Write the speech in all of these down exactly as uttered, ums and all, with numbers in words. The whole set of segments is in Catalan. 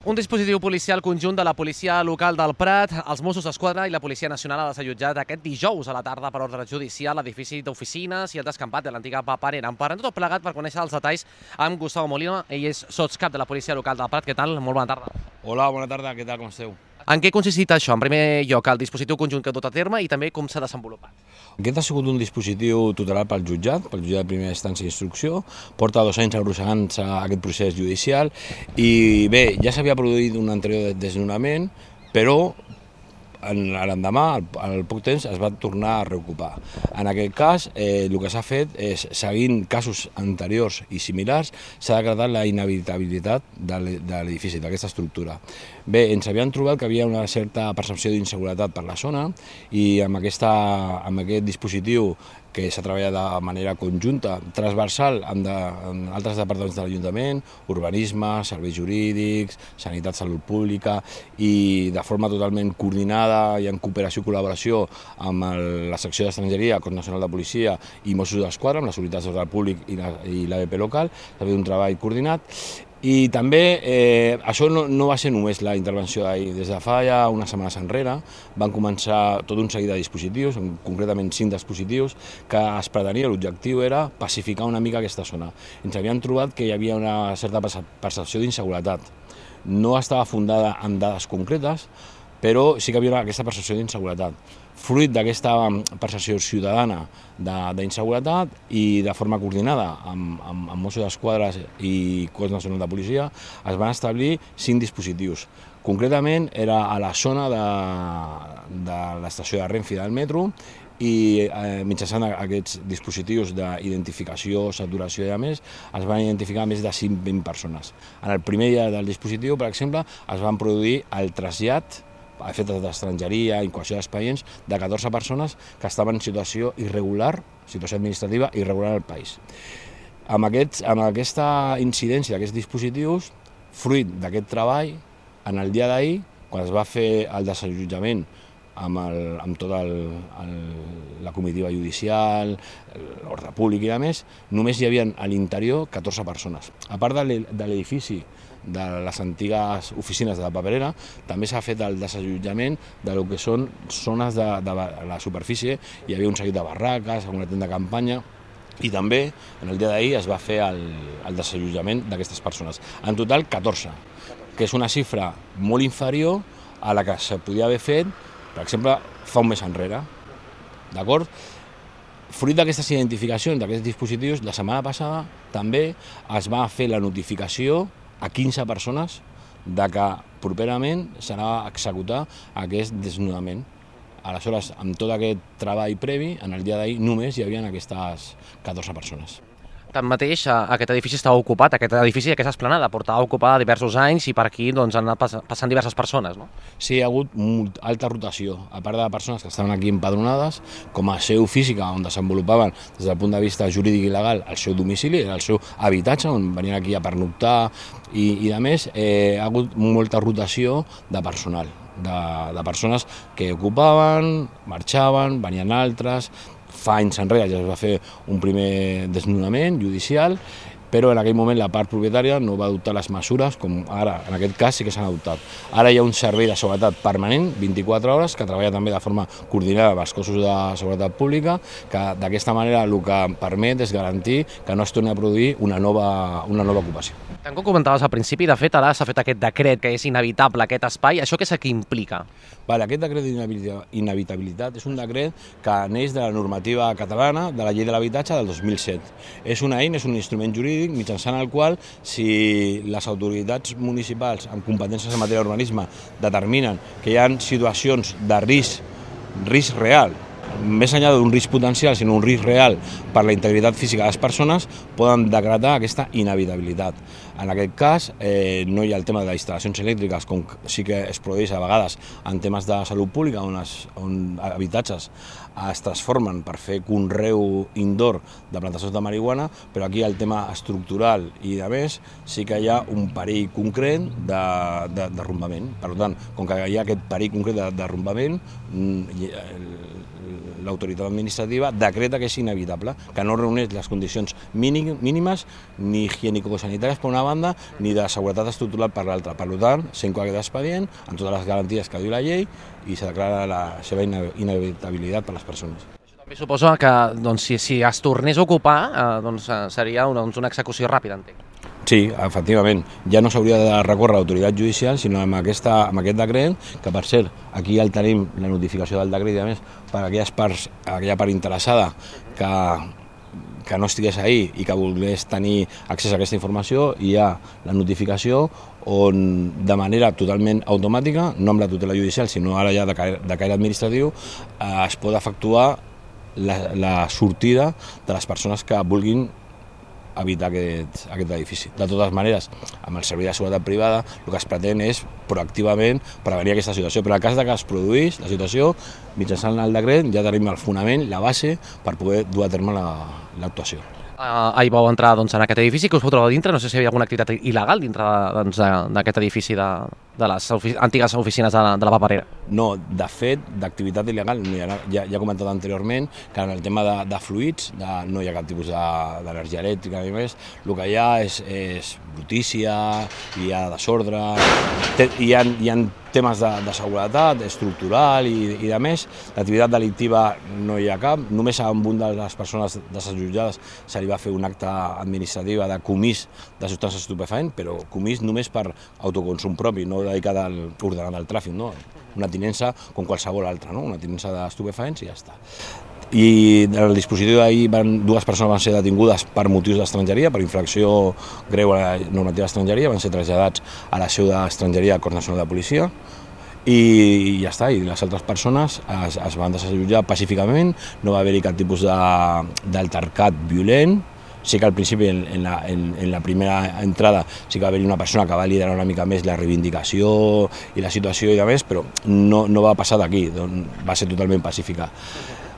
Un dispositiu policial conjunt de la policia local del Prat, els Mossos d'Esquadra i la Policia Nacional ha desallotjat aquest dijous a la tarda per ordre judicial l'edifici d'oficines i el descampat de l'antiga paperera. En parlem tot plegat per conèixer els detalls amb Gustavo Molina. Ell és sotscap de la policia local del Prat. Què tal? Molt bona tarda. Hola, bona tarda. Què tal? Com esteu? En què ha consistit això? En primer lloc, el dispositiu conjunt que ha dut a terme i també com s'ha desenvolupat. Aquest ha sigut un dispositiu tutelat pel jutjat, pel jutjat de primera instància i instrucció, porta dos anys arrossegant-se aquest procés judicial i bé, ja s'havia produït un anterior desnonament, però l'endemà, al poc temps, es va tornar a reocupar. En aquest cas, eh, el que s'ha fet és, seguint casos anteriors i similars, s'ha decretat la inhabitabilitat de l'edifici, d'aquesta estructura. Bé, ens havien trobat que havia una certa percepció d'inseguretat per la zona i amb, aquesta, amb aquest dispositiu que s'ha treballat de manera conjunta, transversal amb, de, amb altres departaments de l'Ajuntament, urbanisme, serveis jurídics, sanitat, salut pública, i de forma totalment coordinada i en cooperació i col·laboració amb el, la secció d'estrangeria, Cos Nacional de Policia i Mossos d'Esquadra, amb les unitats d'ordre públic i la, i l'A B P local, s'ha fet un treball coordinat. I també, eh, això no, no va ser només la intervenció d'ahir. Des de fa ja unes setmanes enrere van començar tot un seguit de dispositius, concretament cinc dispositius, que es pretenia, l'objectiu era pacificar una mica aquesta zona. Ens havien trobat que hi havia una certa percepció d'inseguretat. No estava fundada en dades concretes, però sí que havia aquesta percepció d'inseguretat. Fruit d'aquesta percepció ciutadana d'inseguretat i de forma coordinada amb, amb, amb Mossos d'Esquadra i Cos Nacional de Policia es van establir cinc dispositius. Concretament era a la zona de, de l'estació de Renfe del metro i eh, mitjançant aquests dispositius d'identificació, saturació i a més, es van identificar més de cent vint persones. En el primer dia del dispositiu, per exemple, es van produir el trasllat a efectes d'estrangeria, incoació d'expedients, de catorze persones que estaven en situació irregular, situació administrativa irregular al país. Amb, aquests, amb aquesta incidència d'aquests dispositius, fruit d'aquest treball, en el dia d'ahir, quan es va fer el desallotjament amb, el, amb tota el, el, la comitiva judicial, l'ordre públic i a més, només hi havia a l'interior catorze persones. A part de l'edifici de les antigues oficines de la paperera, també s'ha fet el desallotjament de lo que són zones de, de la superfície. Hi havia un seguit de barraques, una tenda de campanya, i també en el dia d'ahir es va fer el, el desallotjament d'aquestes persones. En total catorze, que és una xifra molt inferior a la que se podia haver fet, per exemple, fa un mes enrere. D'acord? Fruit d'aquestes identificacions, d'aquests dispositius, la setmana passada també es va fer la notificació a quinze persones de que properament s'anava a executar aquest desnonament. Aleshores, amb tot aquest treball previ, en el dia d'ahir només hi havia aquestes catorze persones. Tanmateix, aquest edifici estava ocupat, aquest edifici, aquesta esplanada, portava ocupada diversos anys i per aquí doncs, han anat passant diverses persones, no? Sí, hi ha hagut molt alta rotació, a part de persones que estaven aquí empadronades, com a seu física, on desenvolupaven des del punt de vista jurídic i legal el seu domicili, era el seu habitatge, on venien aquí a pernoctar i, i a més, eh, ha hagut molta rotació de personal, de, de persones que ocupaven, marxaven, venien altres. Fa anys enrere ja es va fer un primer desnonament judicial, però en aquell moment la part propietària no va adoptar les mesures, com ara, en aquest cas sí que s'han adoptat. Ara hi ha un servei de seguretat permanent, vint-i-quatre hores, que treballa també de forma coordinada amb els cossos de seguretat pública, que d'aquesta manera el que permet és garantir que no es torni a produir una nova, una nova ocupació. Tant com comentaves al principi, de fet ara s'ha fet aquest decret que és inevitable aquest espai, això què és que implica? Vale, aquest decret d'inevitabilitat és un decret que neix de la normativa catalana de la llei de l'habitatge del dos mil set. És una eina, és un instrument jurídic mitjançant el qual, si les autoritats municipals amb competències en matèria d'urbanisme determinen que hi ha situacions de risc, risc real, més enllà d'un risc potencial, sinó un risc real per la integritat física de les persones, poden decretar aquesta inhabitabilitat. En aquest cas, eh, no hi ha el tema de les instal·lacions elèctriques, com sí que es produeix a vegades en temes de salut pública, on, es, on habitatges es transformen per fer conreu indoor de plantacions de marihuana, però aquí el tema estructural i de més sí que hi ha un perill concret de, de, de derrumbament. Per tant, com que hi ha aquest perill concret de derrumbament, l'autoritat administrativa decreta que és inevitable, que no reuneix les condicions mínimes ni higiènico-sanitàries per una banda ni de seguretat estructural per l'altra. Per tant, s'incoa aquest expedient amb totes les garanties que diu la llei i se declara la seva inevitabilitat per a les persones. També suposo que doncs, si, si es tornés a ocupar eh, doncs, seria una, doncs, una execució ràpida, entenc. Sí, efectivament. Ja no s'hauria de recórrer a l'autoritat judicial, sinó amb, aquesta, amb aquest decret, que per cert, aquí ja el tenim, la notificació del decret, i a més, per a aquelles parts, aquella part interessada que, que no estigués ahí i que volgués tenir accés a aquesta informació, hi ha la notificació on de manera totalment automàtica, no amb la tutela judicial, sinó ara ja de caire, de caire administratiu, eh, es pot efectuar la, la sortida de les persones que vulguin evitar aquest, aquest edifici. De totes maneres, amb el Servei de Seguretat Privada el que es pretén és proactivament prevenir aquesta situació, però en el cas de que es produís la situació, mitjançant el decret ja tenim el fonament, la base, per poder dur a terme l'actuació. La, Uh, ahir vau entrar doncs, en aquest edifici, que us vau trobar dintre, no sé si hi havia alguna activitat il·legal dintre doncs, d'aquest edifici de, de les ofi antigues oficines de la, de la paperera. No, de fet, d'activitat il·legal, ja, ja, ja he comentat anteriorment que en el tema de, de fluids de, no hi ha cap tipus d'energia de, elèctrica ni més, el que hi ha és, és brutícia, hi ha desordre, hi ha, hi ha temes de, de seguretat, estructural i, i de més. L'activitat delictiva no hi ha cap, només amb un de les persones desallotjades se li va fer un acte administratiu de comís de substàncies estupefaents, però comís només per autoconsum propi, no dedicat al ordenat del tràfic, no? Una tinença com qualsevol altra, no? Una tinença d'estupefaents i ja està. I el dispositiu d'ahir dues persones van ser detingudes per motius d'estrangeria, per infracció greu a la normativa d'estrangeria, van ser traslladats a la seu d'estrangeria del Cos Nacional de Policia i ja està, i les altres persones es, es van desallotjar pacíficament, no va haver-hi cap tipus d'altercat violent. Sí que al principi, en, en, la, en, en la primera entrada, sí que va haver-hi una persona que va liderar una mica més la reivindicació i la situació i de més, però no, no va passar d'aquí, va ser totalment pacífica.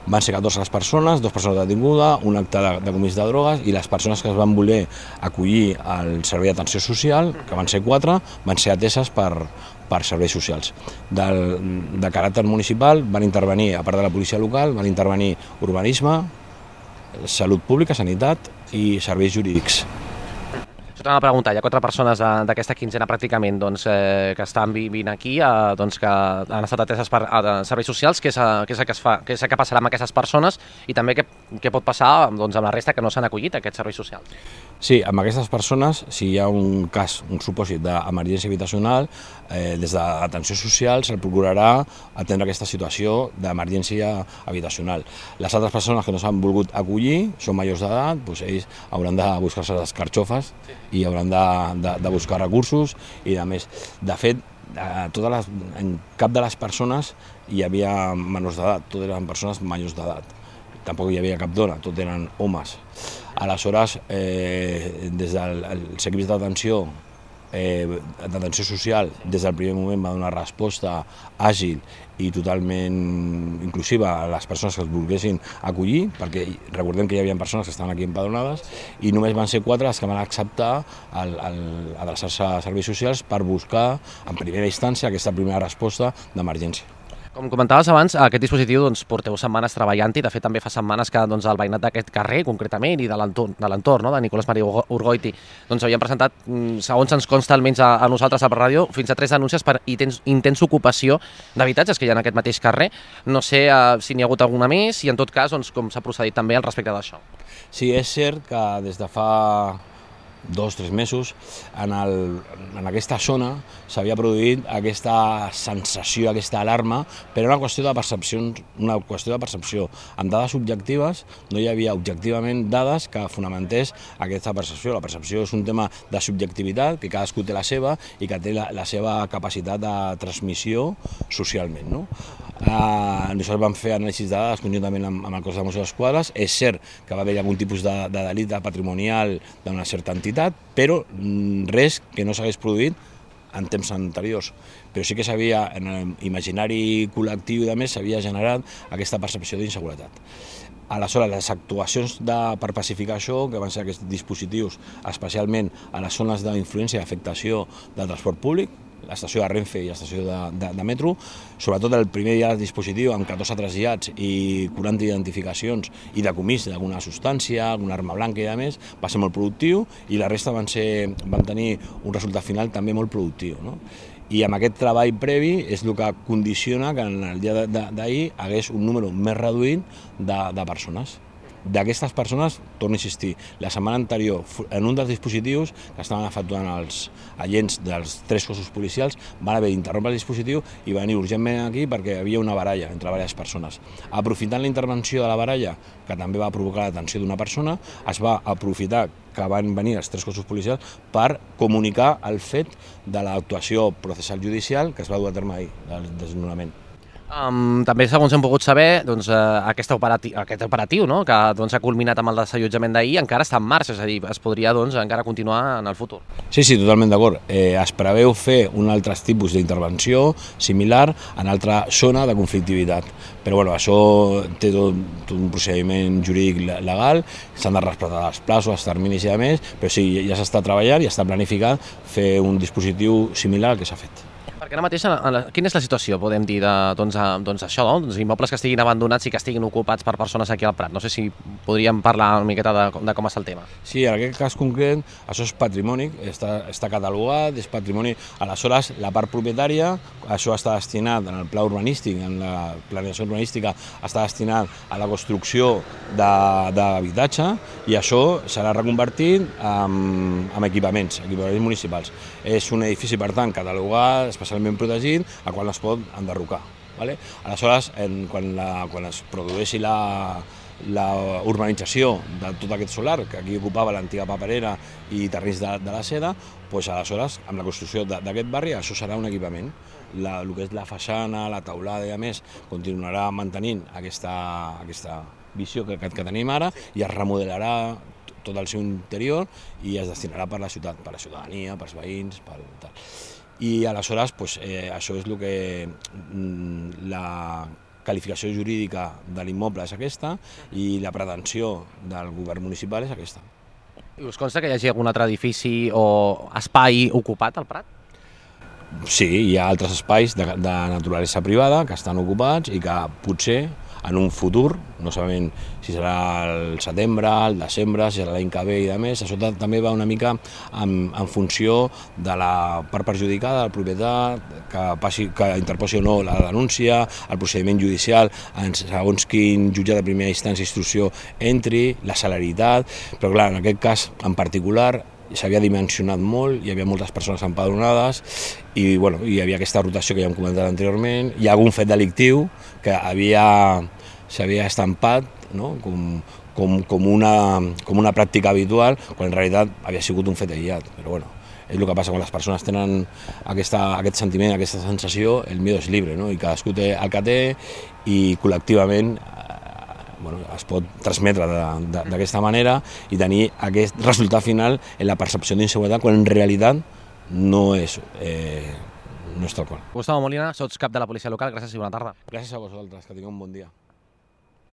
Van ser catorze les persones, dues persones detingudes, un acte de, de comís de drogues i les persones que es van voler acollir al servei d'atenció social, que van ser quatre, van ser ateses per, per serveis socials. Del, de caràcter municipal van intervenir, a part de la policia local, van intervenir urbanisme, salut pública, sanitat i serveis jurídics. Això t'anava a preguntar, hi ha quatre persones d'aquesta quinzena pràcticament doncs, eh, que estan vivint aquí, eh, doncs, que han estat ateses per eh, serveis socials. Què és, què és el que es fa, què és el que passarà amb aquestes persones i també què, què pot passar doncs, amb la resta que no s'han acollit a aquests serveis socials? Sí, amb aquestes persones, si hi ha un cas, un supòsit d'emergència habitacional, eh, des d'atenció social se'l procurarà atendre aquesta situació d'emergència habitacional. Les altres persones que no s'han volgut acollir són majors d'edat, doncs ells hauran de buscar-se les carxofes i hauran de, de, de buscar recursos i de més. De fet, a totes les, en cap de les persones hi havia menors d'edat, tot eren persones majors d'edat. Tampoc hi havia cap dona, tot eren homes. Aleshores, eh, des dels equips d'atenció eh, d'atenció social, des del primer moment va donar resposta àgil i totalment inclusiva a les persones que es volguessin acollir, perquè recordem que hi havia persones que estaven aquí empadronades i només van ser quatre les que van acceptar adreçar-se a serveis socials per buscar en primera instància aquesta primera resposta d'emergència. Com comentaves abans, aquest dispositiu doncs, porteu setmanes treballant-hi, de fet també fa setmanes que doncs, el veïnat d'aquest carrer concretament i de l'entorn, no, de Nicolás Maria Urgoiti, doncs havien presentat, segons ens consta almenys a, a nosaltres a la ràdio, fins a tres denúncies per intens, intensa ocupació d'habitatges que hi ha en aquest mateix carrer. No sé uh, si n'hi ha hagut alguna més i en tot cas doncs, com s'ha procedit també al respecte d'això. Sí, és cert que des de fa dos o tres mesos, en, el, en aquesta zona s'havia produït aquesta sensació, aquesta alarma, però una qüestió de percepció, una qüestió de percepció. Amb dades objectives no hi havia objectivament dades que fonamentés aquesta percepció. La percepció és un tema de subjectivitat, que cadascú té la seva i que té la, la seva capacitat de transmissió socialment, no? Uh, nosaltres vam fer anàlisis de dades conjuntament amb, amb el cos de Mossos d'Esquadra. És cert que va haver algun tipus de, de delicte patrimonial d'una certa entitat, però res que no s'hagués produït en temps anteriors. Però sí que s'havia, en l'imaginari col·lectiu i de més, s'havia generat aquesta percepció d'inseguretat. Aleshores, les actuacions de, per pacificar això, que van ser aquests dispositius, especialment a les zones d'influència i afectació del transport públic, l'estació de Renfe i l'estació de, de, de metro, sobretot el primer dia del dispositiu amb catorze trasllats i quaranta identificacions i decomís d'alguna substància, alguna arma blanca i a més, va ser molt productiu i la resta van, ser, van tenir un resultat final també molt productiu, no? I amb aquest treball previ és el que condiciona que en el dia d'ahir hagués un número més reduït de, de persones. D'aquestes persones, torno a insistir, la setmana anterior, en un dels dispositius que estaven efectuant els agents dels tres cossos policials, van haver d'interrompre el dispositiu i venir urgentment aquí perquè hi havia una baralla entre diverses persones. Aprofitant la intervenció de la baralla, que també va provocar la detenció d'una persona, es va aprofitar que van venir els tres cossos policials per comunicar el fet de l'actuació processal judicial que es va dur a terme ahir, del desnonament. Um, també, segons hem pogut saber, doncs, uh, aquest, operati aquest operatiu, no?, que doncs, ha culminat amb el desallotjament d'ahir, encara està en marxa, és a dir, es podria doncs, encara continuar en el futur. Sí, sí, totalment d'acord. Eh, es preveu fer un altre tipus d'intervenció similar en altra zona de conflictivitat. Però bueno, això té tot, tot un procediment jurídic legal, s'han de respectar els plaços, els terminis i a més, però sí, ja s'està treballant i està planificat fer un dispositiu similar al que s'ha fet. Perquè ara mateix, quina és la situació, podem dir, de, doncs, doncs això, no? Doncs immobles que estiguin abandonats i que estiguin ocupats per persones aquí al Prat? No sé si podríem parlar una miqueta de, de com està el tema. Sí, en aquest cas concret, això és patrimoni, està, està catalogat, és patrimoni. Aleshores, la part propietària, això està destinat en el pla urbanístic, en la planeació urbanística, està destinat a la construcció d'habitatge i això serà reconvertit en, en equipaments, equipaments municipals. És un edifici, per tant, catalogat, especialment protegit, al qual es pot enderrocar. Vale? Aleshores, en, quan, la, quan es produeixi la, la urbanització de tot aquest solar, que aquí ocupava l'antiga paperera i terrenys de, de la seda, doncs aleshores, amb la construcció d'aquest barri, això serà un equipament. La, el que és la façana, la teulada i a més, continuarà mantenint aquesta, aquesta visió que, que tenim ara i es remodelarà tot el seu interior i es destinarà per la ciutat, per la ciutadania, pels veïns, per tal. I aleshores, pues, eh, això és el que mm, la qualificació jurídica de l'immoble és aquesta i la pretensió del govern municipal és aquesta. I us consta que hi hagi algun altre edifici o espai ocupat al Prat? Sí, hi ha altres espais de, de naturalesa privada que estan ocupats i que potser en un futur, no sabem si serà el setembre, el desembre, si serà l'any que ve i de més, això també va una mica en, en funció de la part perjudicada, del propietat, que, passi, que interposi o no la denúncia, el procediment judicial, en segons quin jutge de primera instància instrucció entri, la celeritat, però clar, en aquest cas en particular s'havia dimensionat molt, hi havia moltes persones empadronades i bueno, hi havia aquesta rotació que ja hem comentat anteriorment, hi ha algun fet delictiu que havia s'havia estampat, no? com, com, com, una, com una pràctica habitual, quan en realitat havia sigut un fet aïllat. Però bueno, és el que passa quan les persones tenen aquesta, aquest sentiment, aquesta sensació, el miedo és libre, no? I cadascú té el que té i col·lectivament bueno, es pot transmetre d'aquesta manera i tenir aquest resultat final en la percepció d'inseguretat quan en realitat no és, eh, no és tal qual. Gustavo Molina, sots cap de la policia local, gràcies i bona tarda. Gràcies a vosaltres, que tingueu un bon dia.